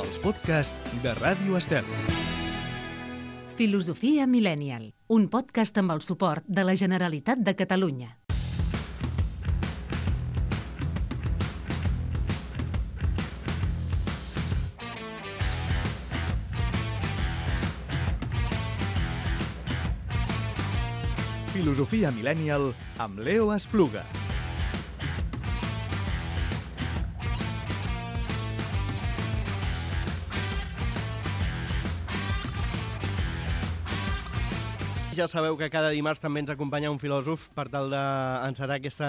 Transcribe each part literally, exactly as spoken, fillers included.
els podcasts de Ràdio Estel. Filosofia Millennial, un podcast amb el suport de la Generalitat de Catalunya. Filosofia Millennial amb Leo Espluga. Ja sabeu que cada dimarts també ens acompanya un filòsof per tal d'encetar aquesta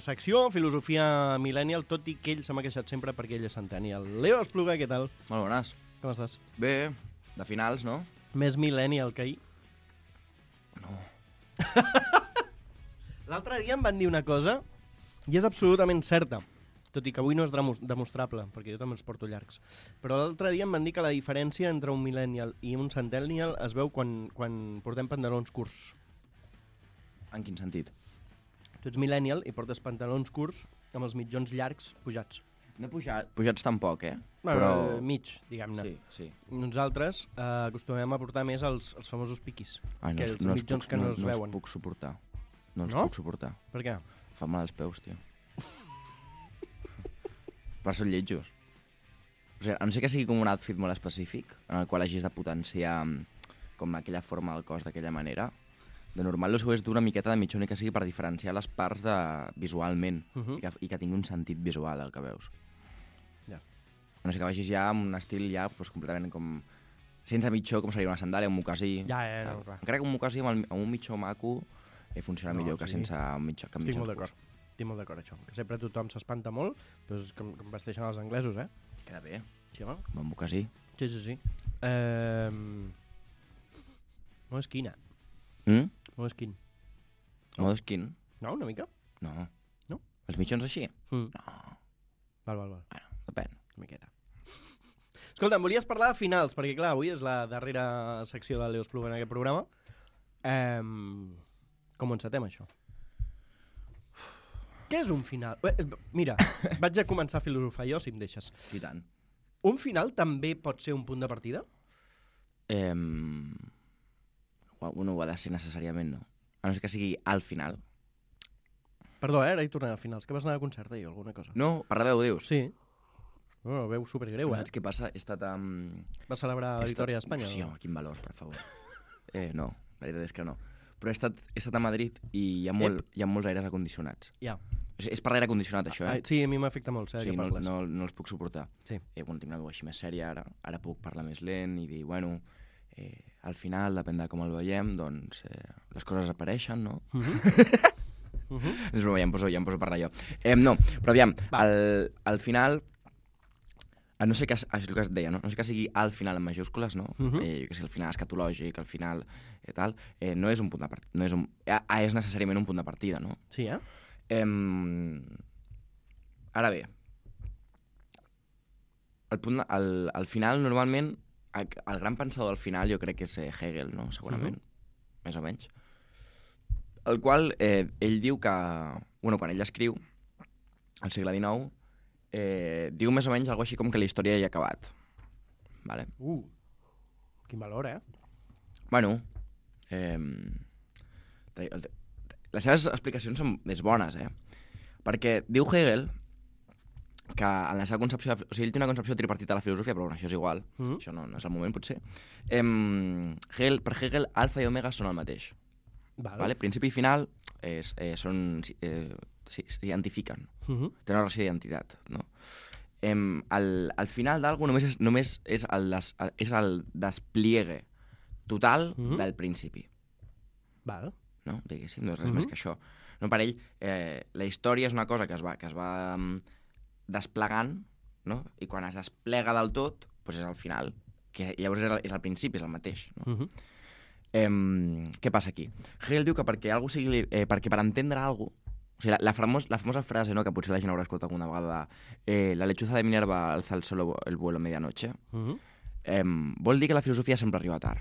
secció, Filosofia Millennial, tot i que ell se m'ha queixat sempre perquè ell és centennial. Leo Espluga, què tal? Molt bones. Com estàs? Bé, de finals, no? Més millennial que ahir? No. L'altre dia em van dir una cosa i és absolutament certa, tot i que avui no és demostrable, perquè jo també els porto llargs. Però l'altre dia em van dir que la diferència entre un millennial i un centennial es veu quan, quan portem pantalons curts. En quin sentit? Tu ets millennial i portes pantalons curts amb els mitjons llargs pujats. No he pujat, pujats tampoc, eh? Bueno, Però... mig, diguem-ne. Sí, sí. Nosaltres eh, acostumem a portar més els, els famosos piquis, Ai, no, que els, els no els mitjons puc, que no, no, es no veuen. els puc suportar. No els No? puc suportar. Per què? Fa mal als peus, tio. Per són lletjos. O sigui, a no sé que sigui com un outfit molt específic, en el qual hagis de potenciar com aquella forma del cos d'aquella manera. De normal, el seu és d'una miqueta de mitjó, ni que sigui per diferenciar les parts de... visualment, Uh -huh. i, que, i que tingui un sentit visual el que veus. Ja. A no sé que vagis ja amb un estil ja pues, completament com... sense mitjó, com seria una sandàlia, un mocasí... Ja, ja, tal. no, clar. Encara que un mocasí amb, el, amb un mitjó maco eh, funciona No, millor que sí. sense un mitjó, que Estic mitjons molt d'acord. curts. Estic molt d'acord, això. Que sempre tothom s'espanta molt, però és com, com vesteixen els anglesos, eh? Queda bé. Sí, home? Bon mocasí. Sí, sí, sí. Eh... Molt esquina. Mm? Molt esquin. Modo skin? No, una mica? No. No? Els mitjons així? Mm. No. Val, val, val. Bueno, depèn. Una miqueta. Escolta, em volies parlar de finals, perquè clar, avui és la darrera secció de Leo Espluga en aquest programa. Eh... Com encetem això? Què és un final? Eh, és- Mira, vaig a començar a filosofar jo, si em deixes. I tant. Un final també pot ser un punt de partida? Eh... No ho ha de ser necessàriament, no. A no ser que sigui al final. Perdó, eh? Ara hi tornem a finals. Que vas anar a concert, eh, o alguna cosa? No, per la veu, dius? Sí. Bueno, veu supergreu, eh? Saps què passa? He estat amb... Va celebrar la victòria d'Espanya? Sí, o no? home, quin valor, per favor. Eh, no, la veritat és que no. Però he estat, he estat a Madrid i hi ha, molt, hi ha molts aires acondicionats. Ja. O sigui, és per l'aire condicionat, això, eh? Ah, sí, a mi m'afecta molt, sé de Sí, què no, parles. no, no els puc suportar. Sí. Eh, bueno, tinc una veu així més sèria ara, ara puc parlar més lent i dir, bueno, eh, al final, depèn de com el veiem, doncs eh, les coses apareixen, no? Uh -huh. uh -huh. És broma, ja em poso, ja em poso a parlar jo. Eh, no, però aviam, al, al final, a no sé que, és el que es deia, no? No sé que sigui al final en majúscules, no? Uh -huh. eh, jo que sé, el final escatològic, al final eh, tal, eh, no és un punt de partida, no és, un, eh, és necessàriament un punt de partida, no? Sí, eh? Eh, ara bé, el, punt, el, el final normalment, el, el gran pensador del final jo crec que és Hegel, no? Segurament, uh -huh. més o menys. El qual eh, ell diu que, bueno, quan ell escriu, al segle dinou, eh, diu més o menys alguna així com que la història ja ha acabat. Vale? Uh, quin valor, eh? Bueno, eh, les seves explicacions són més bones, eh? Perquè diu Hegel que en la seva concepció... De, o sigui, ell té una concepció tripartita de la filosofia, però bueno, això és igual. Mm -hmm. Això no, no és el moment, potser. Eh, Hegel, per Hegel, alfa i omega són el mateix. Vale. Vale? Principi i final és, eh, són... Eh, s'identifiquen. Uh -huh. Té una relació d'identitat, no? Eh, el, el final d'algú només és, només és, el, des, és el despliegue total uh -huh. del principi. Vale. No? Diguéssim, no és res uh -huh. més que això. No, per ell, eh, la història és una cosa que es va, que es va um, desplegant, no? I quan es desplega del tot, doncs és el final, que llavors és el, és el principi, és el mateix. No? Uh -huh. eh, què passa aquí? Hegel diu que perquè, algú sigui, eh, perquè per entendre alguna cosa, o sigui, la, la, famos, la famosa frase, no?, que potser la gent haurà escoltat alguna vegada, eh, la lechuza de Minerva alza el solo el vuelo a medianoche, uh -huh. eh, vol dir que la filosofia sempre arriba tard.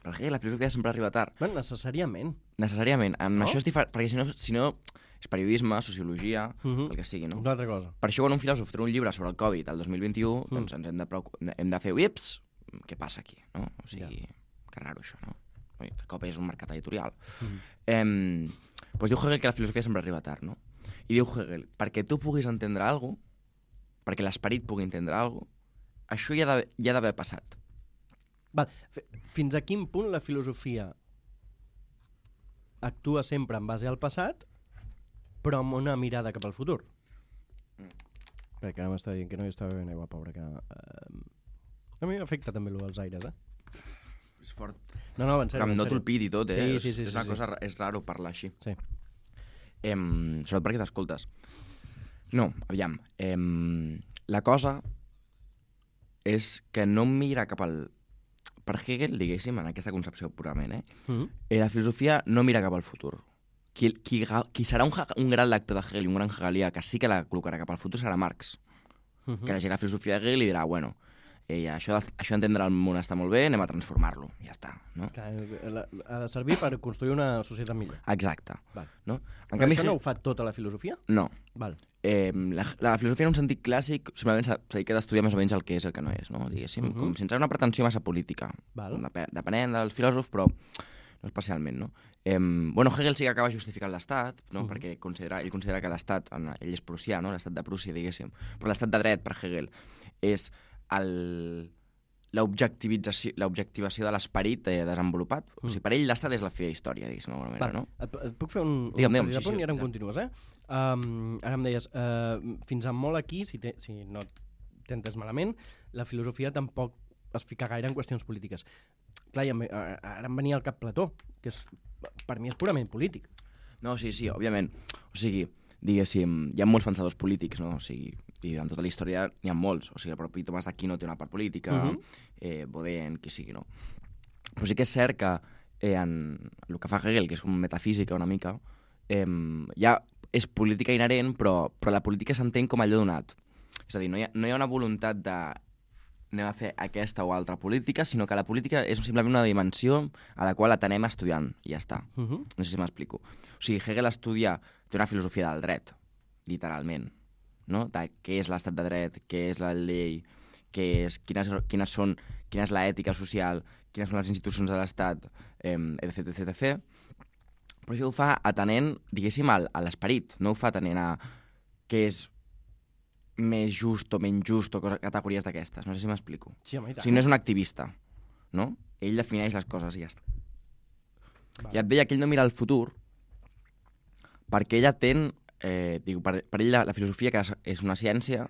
Per Hegel la filosofia sempre arriba tard. Bueno, necessàriament. Necessàriament. Amb No? això és diferent, perquè si no, si no és periodisme, sociologia, Mhm. el que sigui, no? Una altra cosa. Per això quan un filòsof treu un llibre sobre el Covid el dos mil vint-i-u, Mm. doncs ens hem de, preocu- hem de fer uips, què passa aquí, no? O sigui, que raro això, no? Ui, de cop és un mercat editorial. Mhm. Eh, doncs diu Hegel que la filosofia sempre arriba tard, no? I diu Hegel, perquè tu puguis entendre alguna cosa, perquè l'esperit pugui entendre alguna cosa, això ja ha d'haver- ja ha d'haver passat. Val. F- Fins a quin punt la filosofia actua sempre en base al passat, però amb una mirada cap al futur? Mm. Perquè ara m'està dient que no hi està bevent aigua, pobre, que... Eh, a mi m'afecta també allò dels aires, eh? És fort. No, no, en Però sèrio. amb en no sèrio. tolpid i tot, eh? Sí, És- sí, sí, és sí, una sí. cosa, ra- és raro parlar així. Sí. Em, sobretot perquè t'escoltes. No, aviam. Em, la cosa és que no mira cap al... Per Hegel, diguéssim, en aquesta concepció purament, eh? Mm. eh la filosofia no mira cap al futur. Qui, qui, qui serà un, un gran lector de Hegel i un gran hegelià que sí que la col·locarà cap al futur serà Marx, Mm -hmm. que llegirà la filosofia de Hegel i dirà, bueno, eh, això, això entendre el món està molt bé, anem a transformar-lo, ja està, no? Ha de servir per construir una societat millor. Exacte. Val. No? En Però canvi, això no Hegel- ho fa tota la filosofia? no. Val. Eh, la, la filosofia en un sentit clàssic simplement s'ha s'ha dedicat a estudiar més o menys el que és i el que no és, no? Diguéssim, Mhm. com sense una pretensió massa política. Val. Dep depenent del filòsof, però no especialment, no? Eh, bueno, Hegel sí que acaba justificant l'Estat, no? Mhm. Perquè considera, ell considera que l'Estat, en- ell és prussià, no? L'Estat de Prússia, diguéssim, però l'Estat de dret, per Hegel, és el l'objectivització l'objectivació de l'esperit eh, desenvolupat. O sigui, per ell l'Estat és la fi de història, diguéssim, d'alguna manera, Val. no? Et, et puc fer un, Digue'm, un digue'm, petit sí, apunt sí, i ara em ja. continues, eh? Um, ara em deies, uh, fins a molt aquí, si, te, si no t'he entès malament, la filosofia tampoc es fica gaire en qüestions polítiques. Clar, i em, ve- a- ara em venia al cap Plató, que és, per mi és purament polític. No, sí, sí, òbviament. O sigui, diguéssim, hi ha molts pensadors polítics, no? O sigui, i en tota la història n'hi ha molts. O sigui, el propi Tomàs d'Aquino té una part política, Mhm. eh, Baudin, qui sigui, no? Però sí que és cert que eh, en el que fa Hegel, que és com metafísica una mica, eh, ja és política inherent, però, però la política s'entén com allò donat. És a dir, no hi ha, no hi ha una voluntat de anem a fer aquesta o altra política, sinó que la política és simplement una dimensió a la qual atenem estudiant, i ja està. Uh -huh. No sé si m'explico. O sigui, Hegel estudia, té una filosofia del dret, literalment, no? De què és l'estat de dret, què és la llei, què és, quines, quines són, quina és l'ètica social, quines són les institucions de l'estat, eh, etc, etc, etc. Però això ho fa atenent, diguéssim, al, a l'esperit, no ho fa atenent a què és més just o menys just o coses, categories d'aquestes. No sé si m'explico. Sí, home, i O tant. sigui, no és un activista, no? Ell defineix les coses i ja està. Val. I et deia que ell no mira el futur perquè ell atén, eh, diu, per, per ell la, la filosofia, que és, és una ciència,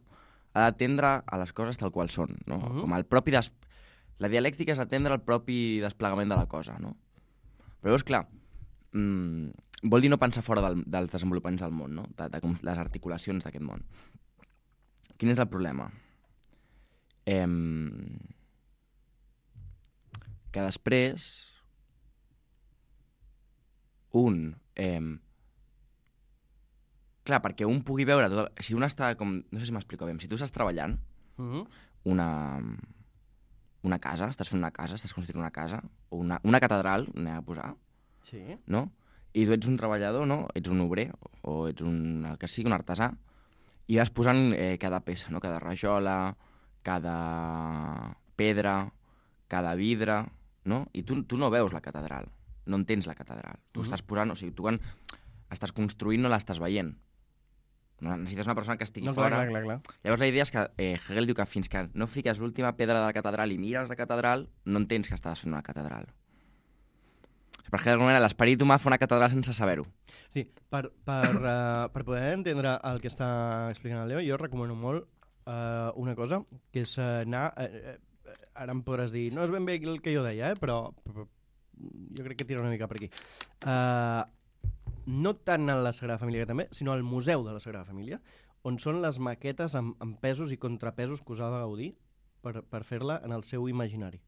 ha d'atendre a les coses tal qual són, no? Mhm. Com el propi des... La dialèctica és atendre el propi desplegament de la cosa, no? Però llavors, clar, mmm, vol dir no pensar fora del, dels desenvolupaments del món, no? De, de com les articulacions d'aquest món. Quin és el problema? Eh, que després un... Eh, clar, perquè un pugui veure tot el... Si un està com... No sé si m'explico bé. Si tu estàs treballant Uh -huh. una, una casa, estàs fent una casa, estàs construint una casa, o una, una catedral, anem a posar, Sí. no? I tu ets un treballador, no? Ets un obrer, o ets un, el que sigui, un artesà, i vas posant eh, cada peça, no? Cada rajola, cada pedra, cada vidre, no? I tu, tu no veus la catedral, no entens la catedral. Tu Mhm. estàs posant, o sigui, tu quan estàs construint no l'estàs veient. No, necessites una persona que estigui No, clar, fora. clar, clar, clar. Llavors la idea és que eh, Hegel diu que fins que no fiques l'última pedra de la catedral i mires la catedral, no entens que estàs fent una catedral. Per Hegel, d'alguna manera, l'esperit humà fa una catedral sense saber-ho. Sí, per, per, uh, per poder entendre el que està explicant el Leo, jo recomano molt uh, una cosa, que és uh, anar... Uh, uh, ara em podràs dir, no és ben bé el que jo deia, eh, però, però jo crec que tira una mica per aquí. Uh, no tant en la Sagrada Família, que també, sinó al Museu de la Sagrada Família, on són les maquetes amb, amb pesos i contrapesos que usava Gaudí per, per fer-la en el seu imaginari.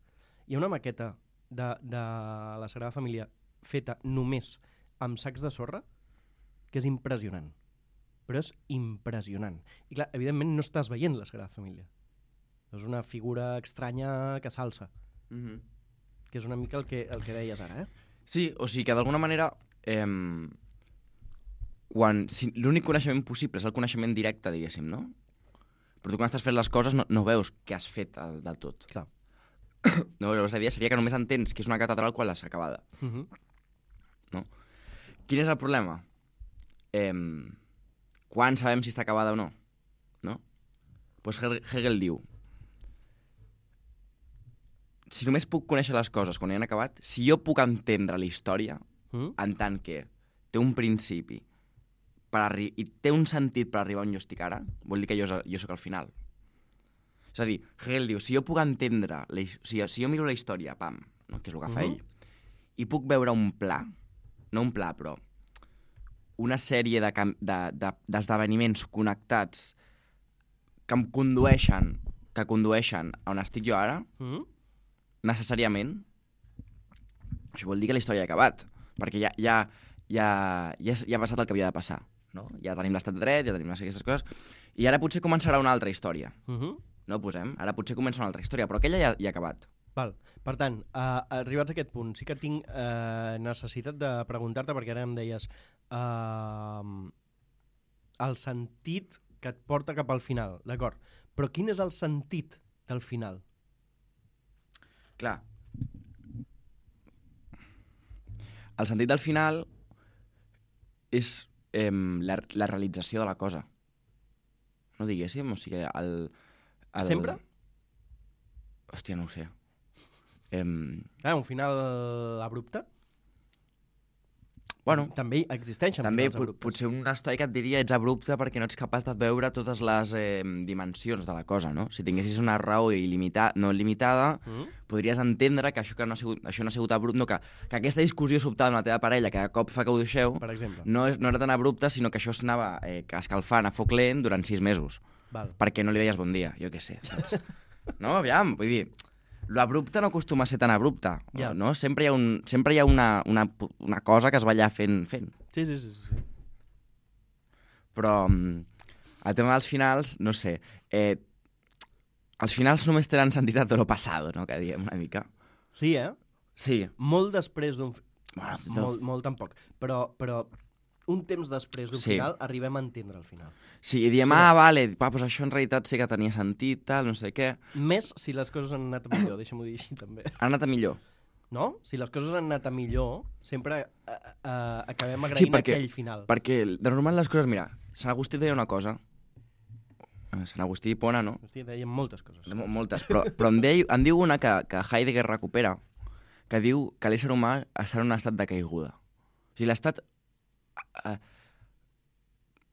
Hi ha una maqueta de, de la Sagrada Família feta només amb sacs de sorra que és impressionant. Però és impressionant. I clar, evidentment no estàs veient la Sagrada Família. És una figura estranya que s'alça, Mm-hmm. que és una mica el que, el que deies ara, eh? Sí, o sigui que d'alguna manera, eh, quan... Si, l'únic coneixement possible és el coneixement directe, diguéssim, no? Però tu quan estàs fent les coses no, no veus què has fet del, del tot. Clar. No, llavors la idea seria que només entens que és una catedral quan l'has acabada. Uh -huh. No? Quin és el problema? Eh, quan sabem si està acabada o no? No? Pues Hegel diu: si només puc conèixer les coses quan hi han acabat, si jo puc entendre la història, Mm? en tant que té un principi per arri- i té un sentit per arribar on jo estic ara, vol dir que jo, jo sóc al final. És a dir, Hegel diu, si jo puc entendre, la, his- o sigui, si jo miro la història, pam, no? Que és el que fa Mhm. ell, i puc veure un pla, no un pla, però una sèrie de cam- de- de- d'esdeveniments connectats que em condueixen, que condueixen a on estic jo ara, Mm? necessàriament, això vol dir que la història ha acabat, perquè ja, ja, ja, ja, ja ha passat el que havia de passar. No? Ja tenim l'estat de dret, ja tenim aquestes coses, i ara potser començarà una altra història. Uh -huh. No ho posem? Ara potser comença una altra història, però aquella ja, ja ha acabat. Val. Per tant, uh, arribats a aquest punt, sí que tinc uh, necessitat de preguntar-te, perquè ara em deies uh, el sentit que et porta cap al final, d'acord? Però quin és el sentit del final? Clar. El sentit del final és eh, la, la realització de la cosa. No diguéssim? O sigui, el... el... Sempre? Hòstia, no ho sé. Eh, Ah, un final abrupte? bueno, També existeixen també finals pot, abruptes. potser un estoic et diria ets abrupte perquè no ets capaç de veure totes les eh, dimensions de la cosa, no? Si tinguessis una raó il·limitada, no limitada, Mm? podries entendre que això, que no, ha sigut, això no ha sigut abrupte, no, que, que aquesta discussió sobtada amb la teva parella, que de cop fa que ho deixeu, Per exemple. no, és, no era tan abrupta, sinó que això s'anava eh, escalfant a foc lent durant sis mesos, Val. perquè no li deies bon dia, jo què sé, saps? No, aviam, vull dir, l'abrupte no acostuma a ser tan abrupte, Ja. no? Sempre hi ha, un, sempre hi ha una, una, una cosa que es va allà fent, fent. Sí, sí, sí. sí, sí. Però mm, el tema dels finals, no sé, eh, els finals només tenen sentit a tot lo passado, no?, que diem una mica. Sí, eh? Sí. Molt després d'un... fi- Bueno, Molt, molt tampoc. Però, però un temps després d'un Sí. final arribem a entendre el final. Sí, i diem, Sí, ah, vale, va, doncs això en realitat sí que tenia sentit, tal, no sé què. Més si les coses han anat a millor, deixa'm-ho dir així també. Ha anat a millor. No? Si les coses han anat a millor, sempre eh, eh, acabem agraint Sí, perquè- aquell final. Perquè de normal les coses, mira, Sant Agustí deia una cosa, eh, Sant Agustí i Hipona, no? Hòstia, dèiem moltes coses. Mo- Moltes, però, però em, deia, em diu una que, que Heidegger recupera, que diu que l'ésser humà està en un estat de caiguda. O sigui, l'estat eh,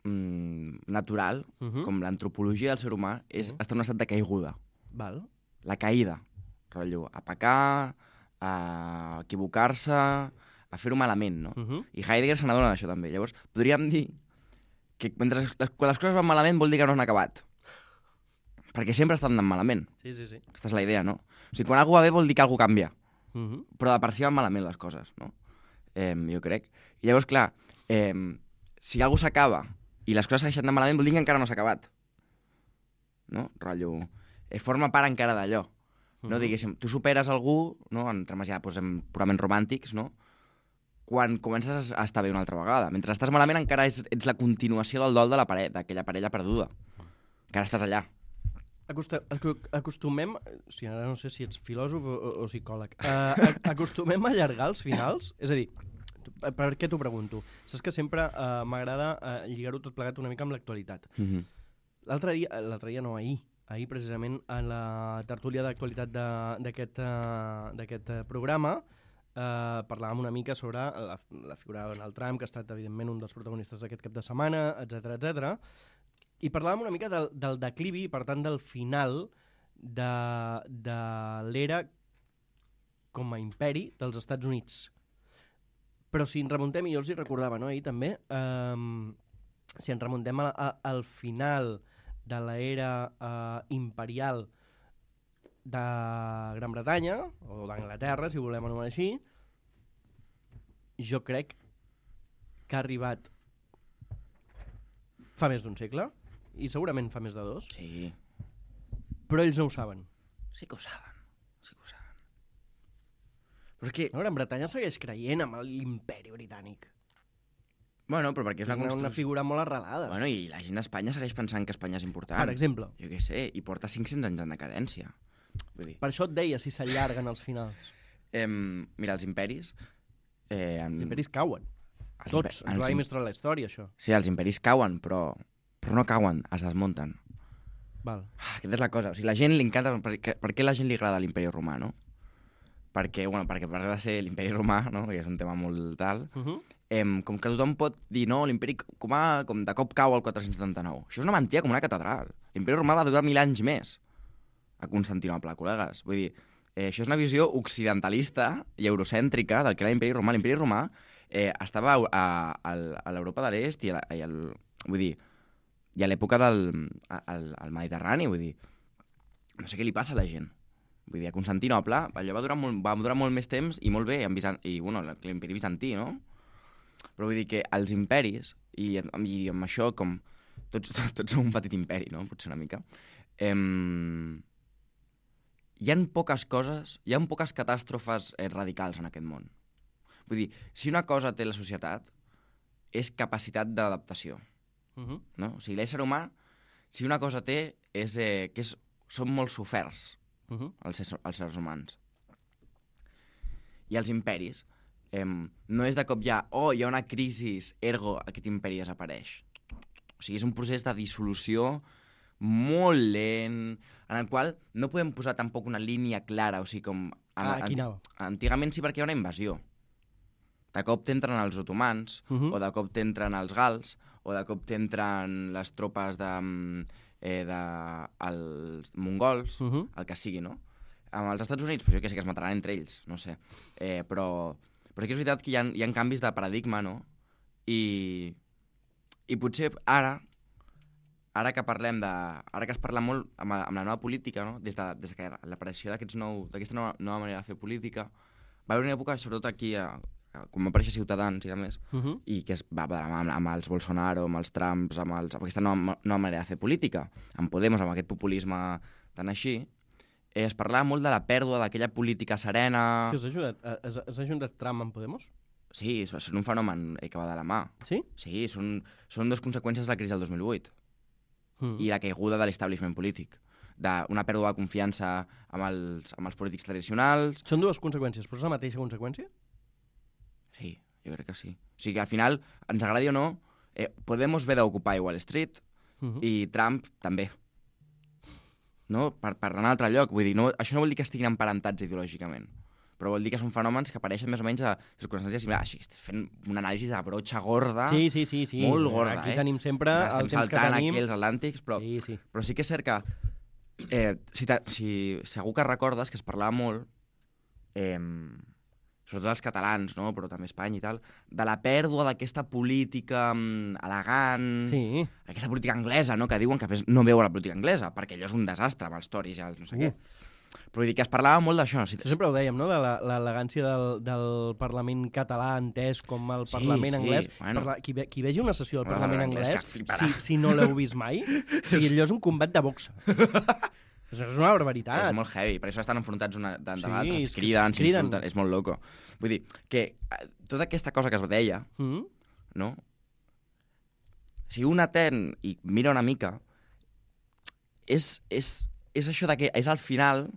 mm, natural, Uh -huh. com l'antropologia del ser humà, és Sí. estar en un estat de caiguda. Val. La caïda, rotllo, a pecar, a equivocar-se, a fer-ho malament, no? Uh -huh. I Heidegger se n'adona d'això també. Llavors, podríem dir que mentre les, quan les coses van malament vol dir que no han acabat. Perquè sempre estan anant malament. Sí, sí, sí. Aquesta és la idea, no? O sigui, quan alguna va bé vol dir que alguna canvia. Uh -huh. Però de per si van malament les coses, no? Eh, jo crec. I llavors, clar, eh, si alguna s'acaba i les coses segueixen anant malament vol dir que encara no s'ha acabat. No? Rotllo, eh, forma part encara d'allò. No, Mhm. diguéssim, tu superes algú, no, en termes ja posem purament romàntics, no? Quan comences a estar bé una altra vegada. Mentre estàs malament encara ets, ets la continuació del dol de la pare d'aquella parella perduda. Encara estàs allà. Acosta, acu- acostumem, o sigui, ara no sé si ets filòsof o, o, o psicòleg, uh, acostumem a allargar els finals? És a dir, tu- per, per què t'ho pregunto? Saps que sempre uh, m'agrada uh, lligar-ho tot plegat una mica amb l'actualitat. Mm -hmm. L'altre dia, l'altre dia no, ahir, ahir precisament en la tertúlia d'actualitat de- d'aquest uh, d'aquest uh, programa uh, parlàvem una mica sobre la, la figura de Donald Trump, que ha estat evidentment un dels protagonistes d'aquest cap de setmana, etcètera, etcètera. I parlàvem una mica del, del declivi, per tant, del final de, de l'era com a imperi dels Estats Units. Però si ens remuntem, i jo els hi recordava, no, ahir també, um, si ens remuntem a, a, al final de l'era uh, imperial de Gran Bretanya, o d'Anglaterra, si ho volem anomenar així, jo crec que ha arribat fa més d'un segle, i segurament fa més de dos, Sí, però ells no ho saben. sí que ho saben. Sí que ho saben. Però és que... La Gran Bretanya segueix creient amb l'imperi britànic. Bueno, però perquè és És una una, construcció... una figura molt arrelada. Bueno, i la gent d'Espanya segueix pensant que Espanya és important. Per exemple. Jo què sé, i porta cinc-cents anys en decadència. Vull dir, Per això et deia si s'allarguen els finals. eh, mira, els imperis... Eh, en... Els imperis cauen. els Tots. impe- Ens ho ha els im- demostrat la història, això. Sí, els imperis cauen, però, però no cauen, es desmunten. Val. Ah, aquesta és la cosa. O sigui, la gent li encanta... Per, què- per què la gent li agrada l'imperi romà, no? Perquè, bueno, perquè a part de ser l'imperi romà, no? Que és un tema molt tal, Uh -huh. eh, com que tothom pot dir, no, l'imperi romà com de cop cau al quatre-cents setanta-nou. Això és una mentida com una catedral. L'imperi romà va durar mil anys més a Constantinople, col·legues. Vull dir, eh, això és una visió occidentalista i eurocèntrica del que era l'imperi romà. L'imperi romà eh, estava a, a, a l'Europa de l'Est i, a, i al, vull dir, i a l'època del al, al Mediterrani, vull dir, no sé què li passa a la gent. Vull dir, a Constantinople allò va durar molt, va durar molt més temps i molt bé, en Bizan i bueno, l'imperi bizantí, no? Però vull dir que els imperis, i, i amb això com tots, tots som un petit imperi, no? Potser una mica, eh, hi ha poques coses, hi ha poques catàstrofes eh, radicals en aquest món. Vull dir, si una cosa té la societat, és capacitat d'adaptació. Uh -huh. No? O sigui, l'ésser humà, si una cosa té, és eh, que és, són molt soferts, Uh -huh. els, éssers, els seres humans. I els imperis, eh, no és de cop ja, oh, hi ha una crisi, ergo aquest imperi desapareix. O sigui, és un procés de dissolució molt lent, en el qual no podem posar tampoc una línia clara, o sigui, com... Ah, aquí anava. Antigament sí, perquè hi ha una invasió. De cop t'entren els otomans, Uh -huh. o de cop t'entren els gals, o de cop t'entren les tropes de, eh, de els mongols, Uh -huh. el que sigui, no? Amb els Estats Units, pues jo que sé que es mataran entre ells, no sé. Eh, però, però sí que és veritat que hi ha, hi ha canvis de paradigma, no? I, i potser ara, ara que parlem de... Ara que es parla molt amb, amb la nova política, no? Des de, des de que l'aparició d'aquesta nou, nova, nova manera de fer política, va haver una època, sobretot aquí, a, a, quan va aparèixer Ciutadans i a més, Uh -huh. i que es va de la mà amb, amb els Bolsonaro, amb els Trumps, amb, els, amb aquesta nova, nova manera de fer política, amb Podemos, amb aquest populisme tan així, eh, es parlava molt de la pèrdua d'aquella política serena... Sí, has ajudat, has, has ajudat Trump amb Podemos? Sí, és, és un fenomen eh, que va de la mà. Sí? Sí, són, són dues conseqüències de la crisi del dos mil vuit Mm. i la caiguda de l'establishment polític, d'una pèrdua de confiança amb els, amb els polítics tradicionals. Són dues conseqüències, però és la mateixa conseqüència? Sí, jo crec que sí. O sigui que al final, ens agradi o no, eh, Podemos ve d'ocupar Wall Street, Uh -huh. i Trump també. No? Per, per anar a un altre lloc. Vull dir, no, això no vol dir que estiguin emparentats ideològicament, però vol dir que són fenòmens que apareixen més o menys a circumstàncies similars. Així, estic fent una anàlisi de brotxa gorda, Sí, sí, sí, sí. molt gorda, Aquí eh? tenim sempre Ens el estem temps que saltant tenim. aquí els atlàntics, però, Sí, sí. però sí que és cert que eh, si, ta, si segur que recordes que es parlava molt, eh, sobretot els catalans, no? Però també Espanya i tal, de la pèrdua d'aquesta política mm, elegant, Sí. aquesta política anglesa, no? Que diuen que no veuen la política anglesa, perquè allò és un desastre amb els toris i els no sé Uh. què. Però vull dir que es parlava molt d'això. Si... Això sempre ho dèiem, no?, de la- l'elegància del, del Parlament català entès com el Sí, Parlament sí, anglès. bueno. Parla, qui, ve, qui vegi una sessió del Bueno, Parlament l'anglès anglès, que fliparà. si, si no l'heu vist mai, o sigui, allò és un combat de boxa. Això és una barbaritat. És molt heavy, per això estan enfrontats una de, de Sí, l'altra, és es que criden, es criden. s'insulten, és molt loco. Vull dir, que eh, tota aquesta cosa que es deia, Mm? no? Si un atén i mira una mica, és, és, és això de que és al final,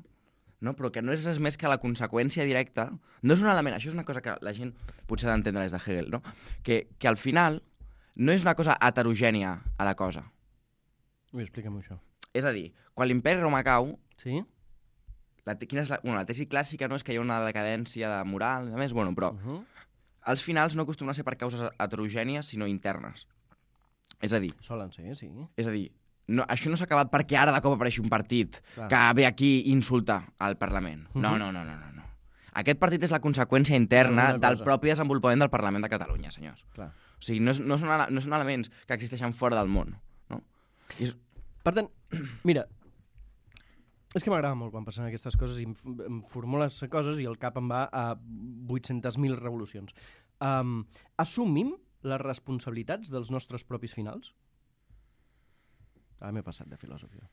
no? Però que no és res més que la conseqüència directa. No és un element, això és una cosa que la gent potser ha d'entendre des de Hegel, no? Que, que al final no és una cosa heterogènia a la cosa. Ui, explica'm això. És a dir, quan l'imperi romà cau, Sí? la, te- quina és la, bueno, la tesi clàssica no és que hi ha una decadència de moral, i a més, bueno, però Uh -huh. als finals no acostumen a ser per causes heterogènies, sinó internes. És a dir, Solen ser, sí. és a dir, no, això no s'ha acabat perquè ara de cop apareixi un partit Clar. que ve aquí i insulta al Parlament. No, Mhm. no, no, no, no, no. Aquest partit és la conseqüència interna Alguna del cosa. propi desenvolupament del Parlament de Catalunya, senyors. Clar. O sigui, no, és, no, són, ele- no són elements que existeixen fora del món, no? I és, Per tant, mira, és que m'agrada molt quan passen aquestes coses i em, f- em formules coses i el cap em va a vuit-centes mil revolucions. Um, assumim les responsabilitats dels nostres propis finals? Ara m'he passat de filosofia.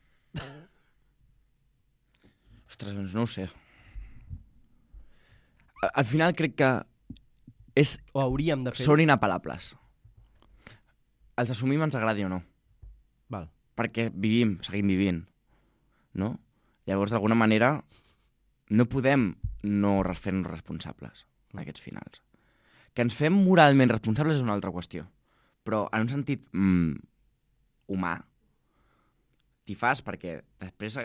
ostres, doncs no ho sé. Al, al final crec que és, O hauríem de fer... són inapel·lables. els assumim ens agradi o no. Val. Perquè vivim, seguim vivint, no? Llavors, d'alguna manera, no podem no fer-nos responsables d'aquests finals. Que ens fem moralment responsables és una altra qüestió, però en un sentit mm, humà, t'hi fas perquè després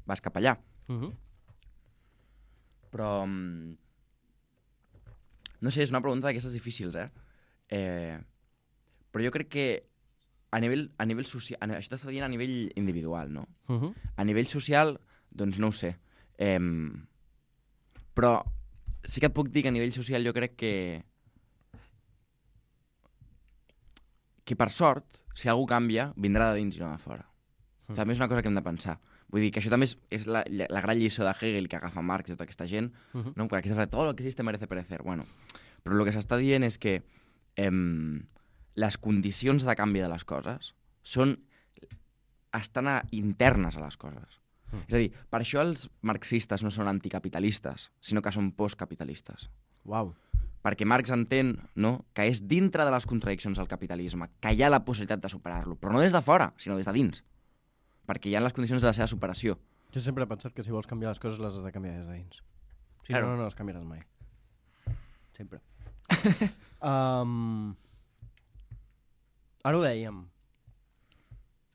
vas cap allà. Uh-huh. Però... Mm, no sé, és una pregunta d'aquestes difícils, eh? eh? Però jo crec que a nivell, a nivell social... A, això t'està dient a nivell individual, no? Uh-huh. A nivell social, doncs no ho sé. Eh, però sí que et puc dir que a nivell social jo crec que... que per sort, si algú canvia, vindrà de dins i no de fora. Uh-huh. També és una cosa que hem de pensar. Vull dir que això també és, és la, la gran lliçó de Hegel que agafa Marx i tota aquesta gent, uh-huh. no? Perquè aquesta frase, todo lo que existe merece perecer. Bueno, però el que s'està dient és que em, les condicions de canvi de les coses són, estan a, internes a les coses. Uh-huh. És a dir, per això els marxistes no són anticapitalistes, sinó que són postcapitalistes. Uau. Perquè Marx entén, no?, que és dintre de les contradiccions del capitalisme, que hi ha la possibilitat de superar-lo, però no des de fora, sinó des de dins. Perquè hi ha les condicions de la seva superació. Jo sempre he pensat que si vols canviar les coses les has de canviar des de dins. Si claro. no, no, no les canviaràs mai. Sempre. um, ara ho dèiem.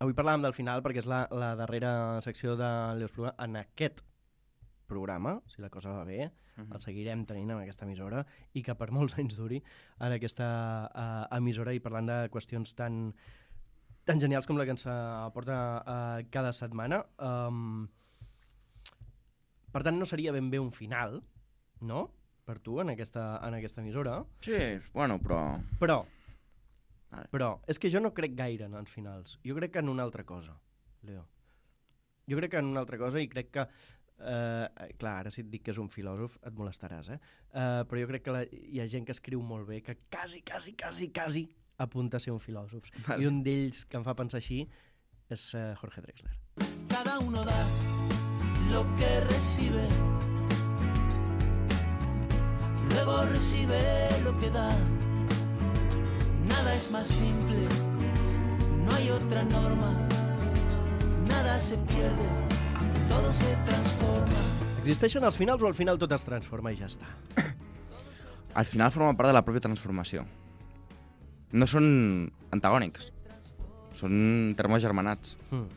Avui parlàvem del final perquè és la, la darrera secció de l'Eusplugà en aquest programa, si la cosa va bé, uh-huh. el seguirem tenint en aquesta emissora i que per molts anys duri en aquesta uh, emissora i parlant de qüestions tan... tan genials com la que ens aporta uh, cada setmana. Um, per tant, no seria ben bé un final, no?, per tu, en aquesta, en aquesta emissora. Sí, bueno, però... Però, vale. però, és que jo no crec gaire en els finals. Jo crec que en una altra cosa, Leo. Jo crec que en una altra cosa i crec que... Uh, clar, ara si et dic que és un filòsof et molestaràs, eh? Uh, però jo crec que la, hi ha gent que escriu molt bé, que quasi, quasi, quasi, quasi apunta a ser un filòsof. Vale. I un d'ells que em fa pensar així és uh, Jorge Drexler. Cada uno da lo que recibe, luego recibe lo que da. Nada es más simple, no hay otra norma, nada se pierde, todo se transforma. Existeixen els finals o al final tot es transforma i ja està? Al final forma part de la pròpia transformació. No són antagònics, són termes germanats. Hmm.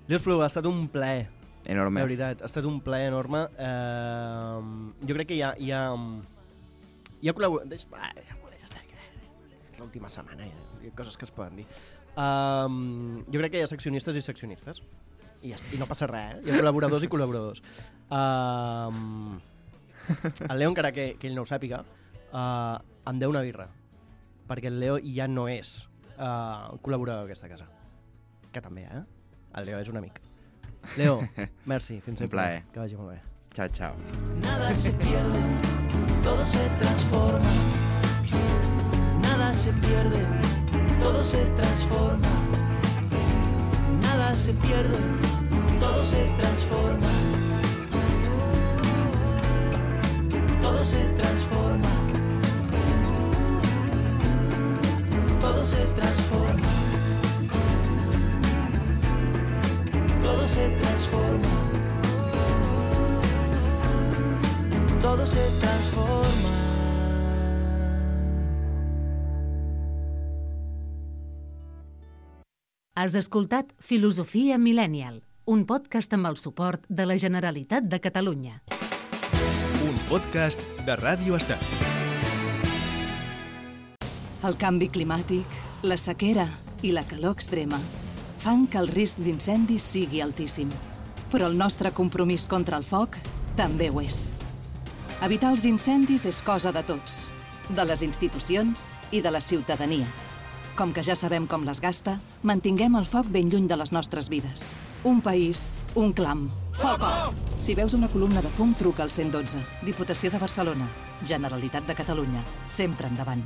Leo Espluga, ha estat un plaer. Enorme. De veritat, ha estat un plaer enorme. Eh, jo crec que hi ha... Hi ha, hi ha col·laboració... Ah, ja, ja està, és l'última setmana, hi ha coses que es poden dir. Um, jo crec que hi ha seccionistes i seccionistes. I, ja, i no passa res, eh? Hi ha col·laboradors i col·laboradors. Um, el Leo, encara que, que ell no ho sàpiga, uh, em deu una birra. Perquè el Leo ja no és uh, col·laborador d'aquesta casa. Que també, eh? El Leo és un amic. Leo, merci, fins sempre. Un plaer. Que vagi molt bé. Chao, chao. Nada se pierde, todo se transforma. Nada se pierde, todo se transforma. Nada se pierde, todo se transforma. Todo se transforma. Todo se transforma. Todo se transforma. Todo se transforma. Has escoltat Filosofia Millennial, un podcast amb el suport de la Generalitat de Catalunya. Un podcast de Ràdio Estat. El canvi climàtic, la sequera i la calor extrema fan que el risc d'incendis sigui altíssim. Però el nostre compromís contra el foc també ho és. Evitar els incendis és cosa de tots, de les institucions i de la ciutadania. Com que ja sabem com les gasta, mantinguem el foc ben lluny de les nostres vides. Un país, un clam. Foc off! Si veus una columna de fum, truca al cent dotze. Diputació de Barcelona. Generalitat de Catalunya. Sempre endavant.